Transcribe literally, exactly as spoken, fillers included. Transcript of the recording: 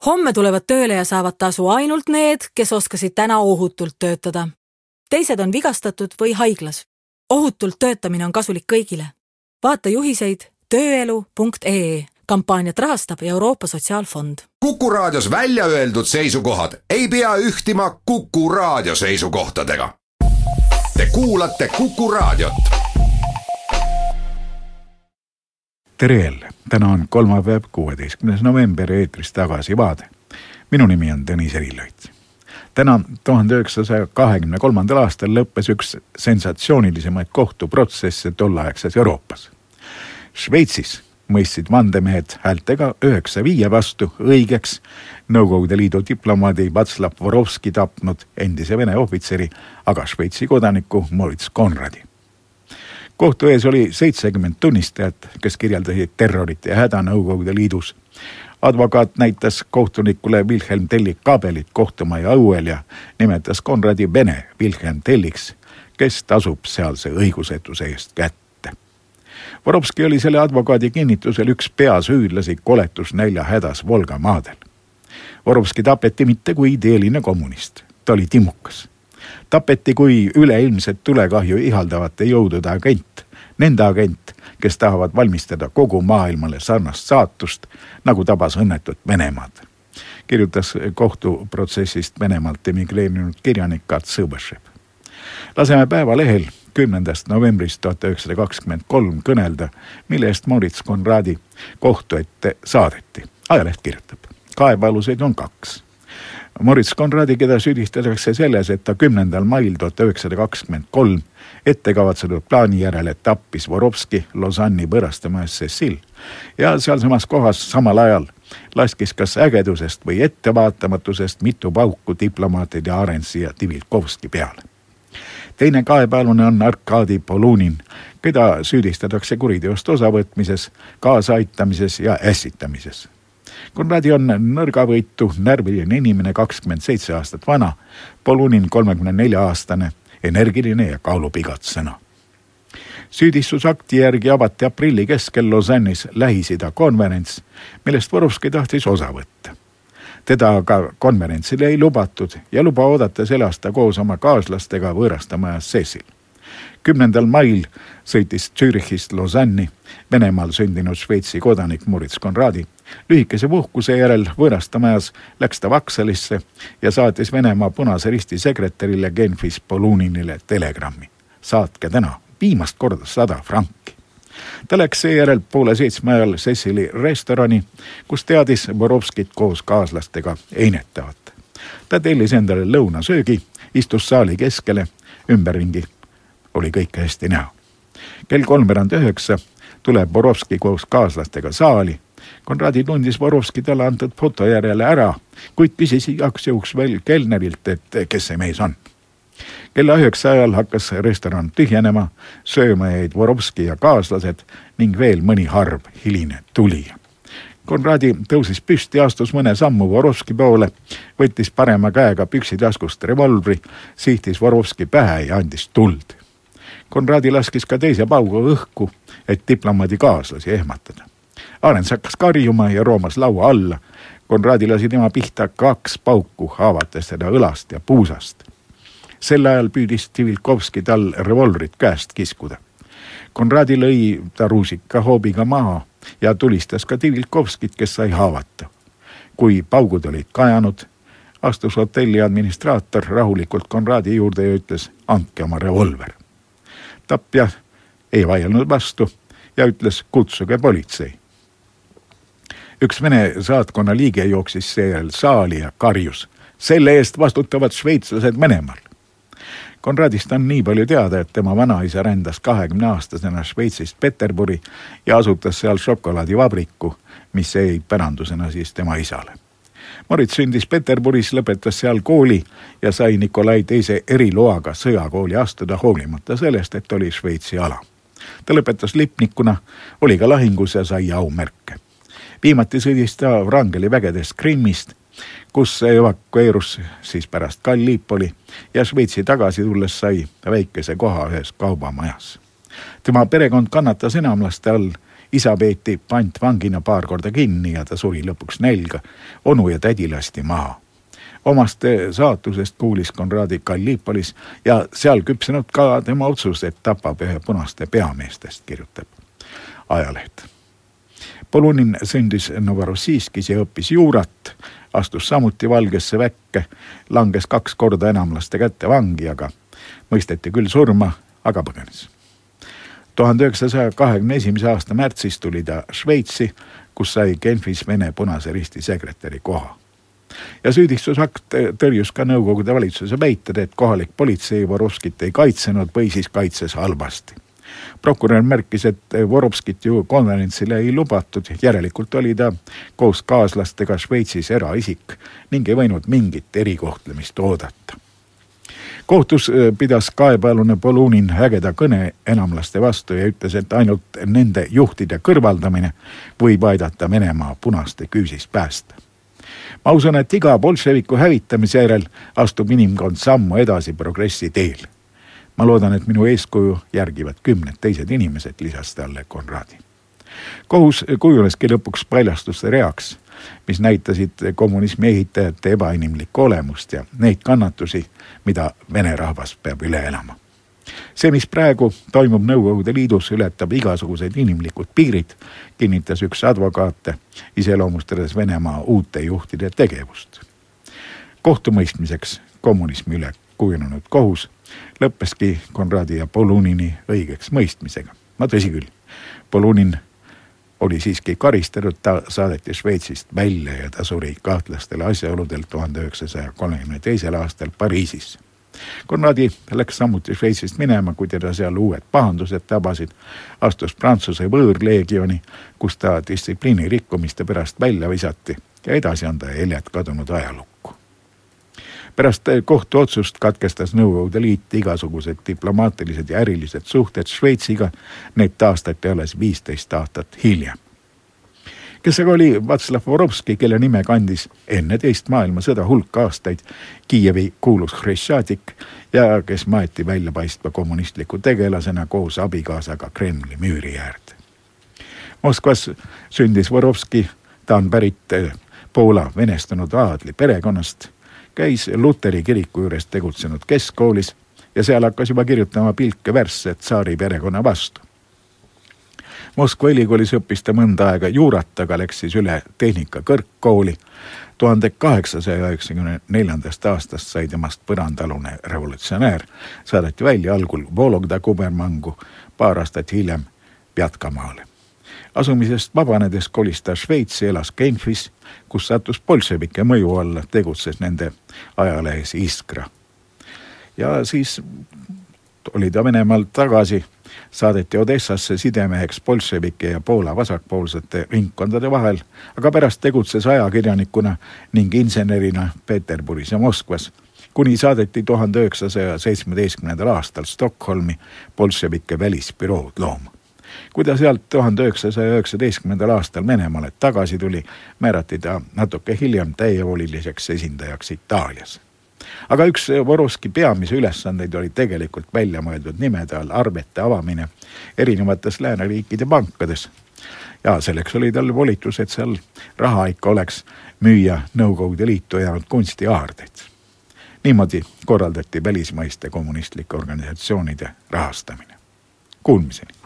Homme tulevad tööle ja saavad tasu ainult need, kes oskasid täna ohutult töötada. Teised on vigastatud või haiglas. Ohutult töötamine on kasulik kõigile. Vaata juhiseid tööelu punkt ee. Kampaaniat rahastab Euroopa Sotsiaalfond. Kuku Raadios välja öeldud seisukohad ei pea ühtima Kuku Raadio seisukohtadega. Te kuulate Kuku Raadiot. Tere jälle. Täna on kolmapäev, kuueteistkümnes november, eetris tagasi vaade. Minu nimi on Tõnis Erilõit. Täna tuhande üheksasaja kahekümne kolmandal aastal lõppes üks sensatsioonilisemaid kohtuprotsesse tollaegses Euroopas. Šveitsis mõistsid vandemehed häältega üheksa viie vastu õigeks Nõukogude Liidu diplomaadi Václav Vorovski tapnud endise Vene ohvitseri, aga Šveitsi kodaniku Moritz Conradi. Kohtu ees oli seitsekümmend tunnistajat, kes kirjeldasid terrorit ja häda Nõukogude Liidus. Advokaat näitas kohtunikule Wilhelm Telli kabelit kohtumaja õuel ja nimetas Conradi Vene Wilhelm Telliks, kes tasub sealse õigusetuse eest kätte. Vorovski oli selle advokaadi kinnitusel üks peasüüdlasi koletusnälja hädas Volga maadel. Vorovski tapeti mitte kui ideeline kommunist. Ta oli timukas. Tapeti kui üleilmset tulekahju ihaldavate jõudude agent, nende agent, kes tahavad valmistada kogu maailmale sarnast saatust, nagu tabas õnnetut Venemaad. Kirjutas kohtuprotsessist Venemaalt emigreerinud kirjanik Kat Sõbõšev. Laseme Päevalehel kümnendast novembrist tuhat üheksasada kakskümmend kolm kõnelda, mille eest Moritz Conradi kohtu ette saadeti. Ajaleht kirjutab. Kaebealuseid on kaks. Moritz Conradi, keda süüdistatakse selles, et ta kümnendal mail tuhat üheksasada kakskümmend kolm ettekavatsetud plaani järele tappis Vorovski Lausanne'i võõrastamajas Cecil ja sealsamas kohas samal ajal laskis kas ägedusest või ettevaatamatusest mitu pauku diplomaatide Arensi ja Divilkovski peale. Teine kaebealune on Arkadi Polunin, keda süüdistatakse kuriteost osavõtmises, kaasaaitamises ja ässitamises. Conradi on nõrgavõitu, närviline inimene, kakskümmend seitse aastat vana, Polunin kolmekümne nelja aastane, energiline ja kaalub igat sõna. Süüdistusakti järgi avati aprilli keskel Lausanne'is Lähis-Ida konverents, millest Vorovski tahtis osa võtta. Teda aga konverentsile ei lubatud ja luba oodata selle aasta koos oma kaaslastega võõrastamajas Cecil. Kümnendal mail sõitis Zürichist Lausanne'i Venemaal sündinud Šveitsi kodanik Moritz Conradi. Lühikese puhkuse järel võõrastamajas läks ta Vaksalisse ja saatis Venemaa Punase Risti sekretärile Genfis Poluninile telegrammi. Saatke täna viimast korda sada franki. Ta läks seejärel poole seitsme ajal Cecili restorani, kus teadis Vorovskit koos kaaslastega einetavat. Ta tellis endale lõunasöögi, istus saali keskele, ümberringi oli kõike hästi näha. Kell kolmveerand üheksa tuleb Vorovski koos kaaslastega saali. Conradi tundis Vorovski talle antud foto järele ära, kuid küsis igaks juhuks veel kelnerilt, et kes see mees on. Kella üheksa ajal hakkas restoran tühjenema, sööma jäid Vorovski ja kaaslased ning veel mõni harv hiline tulija. Conradi tõusis püsti, astus mõne sammu Vorovski poole, võttis parema käega püksitaskust revolvri, sihtis Vorovski pähe ja andis tuld. Conradi laskis ka teise pauga õhku, et diplomaadi kaaslasi ehmatada. Arens hakkas karjuma ja roomas laua alla. Conradi lasi tema pihta kaks pauku, haavates teda õlast ja puusast. Sel ajal püüdis Divilkovski tal revolvrit käest kiskuda. Conradi lõi ta ruusika hoobiga maha ja tulistas ka Divilkovskit, kes sai haavata. Kui paugud olid kajanud, astus hotelli administraator rahulikult Conradi juurde ja ütles, andke oma revolver. Tapja ei vaielnud vastu ja ütles, kutsuge politsei. Üks Vene saatkonna liige jooksis seejärel saali ja karjus. Selle eest vastutavad šveitslased Venemaal. Conradist on nii palju teada, et tema vanaisa rändas kahekümne aastasena Šveitsist Peterburi ja asutas seal šokolaadivabriku, mis jäi pärandusena siis tema isale. Moritz sündis Peterburis, lõpetas seal kooli ja sai Nikolai teise eriloaga sõjakooli astuda hoolimata sellest, et oli Šveitsi ala. Ta lõpetas lipnikuna, oli ka lahingus ja sai aumärke. Viimati sõdis ta Wrangeli vägedes Krimmist, kus evakueerus siis pärast Gallipoli ja Šveitsi tagasi tulles sai väikese koha ühes kaubamajas. Tema perekond kannatas enamlaste all isa peeti pantvangina paar korda kinni ja ta suri lõpuks nälga. Onu ja tädi lasti maha. Omast saatusest kuulis Konradi Gallipolis ja seal küpsenud ka tema otsus, et tapab ühe punaste peameestest, kirjutab ajaleht. Polunin sündis Novorossijskis ja õppis juurat, astus samuti Valgesse väkke, langes kaks korda enamlaste kätte vangi, aga mõisteti küll surma, aga põgenes. tuhande üheksasaja kahekümne esimese aasta märtsis tuli ta Šveitsi, kus sai Genfis Vene Punase Risti sekretäri koha. Ja süüdistusakt tõrjus ka Nõukogude valitsuse väited, et kohalik politsei Vorovskit ei kaitsenud või siis kaitses halvasti. Prokurör märkis, et Vorovskit ju konverentsile ei lubatud, järelikult oli ta koos kaaslastega Šveitsis eraisik ning ei võinud mingit erikohtlemist oodata. Kohtus pidas kaebealune Polunin ägeda kõne enamlaste vastu ja ütles, et ainult nende juhtide kõrvaldamine võib aidata Venemaa punaste küüsist päästa. Ma usun, et iga bolševiku hävitamise järel astub inimkond sammu edasi progressi teel. Ma loodan, et minu eeskuju järgivad kümned teised inimesed, lisas talle Konradi. Kohus kujuneski lõpuks paljastuste reaks, mis näitasid kommunismi ehitajate ebainimlikku olemust ja neid kannatusi, mida Vene rahvas peab üle elama. See, mis praegu toimub Nõukogude Liidus, ületab igasugused inimlikud piirid, kinnitas üks advokaate, iseloomustades Venemaa uute juhtide tegevust. Kohtumõistmiseks kommunismi üle kujunenud kohus lõppeski Konradi ja Polunini õigeks mõistmisega. Ma tõsi küll, Polunin oli siiski karistatud, ta saadeti Šveitsist välja ja ta suri kahtlastel asjaoludel tuhande üheksasaja kolmekümne teisel aastal Pariisis. Konradi läks samuti Šveitsist minema, kui teda seal uued pahandused tabasid, astus Prantsuse võõrleegioni, kus ta distsipliini rikkumiste pärast välja visati ja edasi on ta jäljed kadunud ajalukku. Pärast kohtuotsust katkestas Nõukogude Liit igasugused diplomaatilised ja ärilised suhted Šveitsiga, need taastati alles viisteist aastat hiljem. Kes aga oli Václav Vorovski, kelle nime kandis enne teist maailmasõda hulk aastaid Kiievi kuulus Hreštšadik ja kes maeti väljapaistva kommunistliku tegelasena koos abikaasaga Kremli müüri äärde. Moskvas sündis Vorovski, ta on pärit Poola venestunud aadli perekonnast, käis Luteri kiriku juures tegutsenud keskkoolis ja seal hakkas juba kirjutama pilke värsse tsaari perekonna vastu. Moskva ülikoolis õppis ta mõnda aega juurat, aga läks siis üle tehnika kõrgkooli. tuhande kaheksasaja üheksakümne neljandast aastast sai temast põrandalune revolutsionäär, saadeti välja algul Vologda kubermangu, paar aastat hiljem Pjatkamaale. Asumisest vabanedes kolis ta Šveitsi, elas Genfis, kus sattus bolševike mõju alla, tegutses nende ajalehes Iskra. Ja siis oli ta Venemaalt tagasi, saadeti Odessasse sidemeheks bolševike ja Poola vasakpoolsete ringkondade vahel, aga pärast tegutses ajakirjanikuna ning insenerina Peterburis ja Moskvas, kuni saadeti tuhande üheksasaja seitsmeteistkümnendal aastal Stockholmi bolševike välisbürood looma. Kui ta sealt tuhande üheksasaja üheksateistkümnendal aastal Venemaale tagasi tuli, määrati ta natuke hiljem täievoliliseks esindajaks Itaalias. Aga üks Vorovski peamise ülesandeid oli tegelikult välja mõeldud nimede all arvete avamine erinevates lääneriikide pankades. Ja selleks oli tal volitus, et seal raha ikka oleks müüa Nõukogude Liitu jäänud kunstiaardeid. Niimoodi korraldati välismaiste kommunistlike organisatsioonide rahastamine. Kuulmiseni.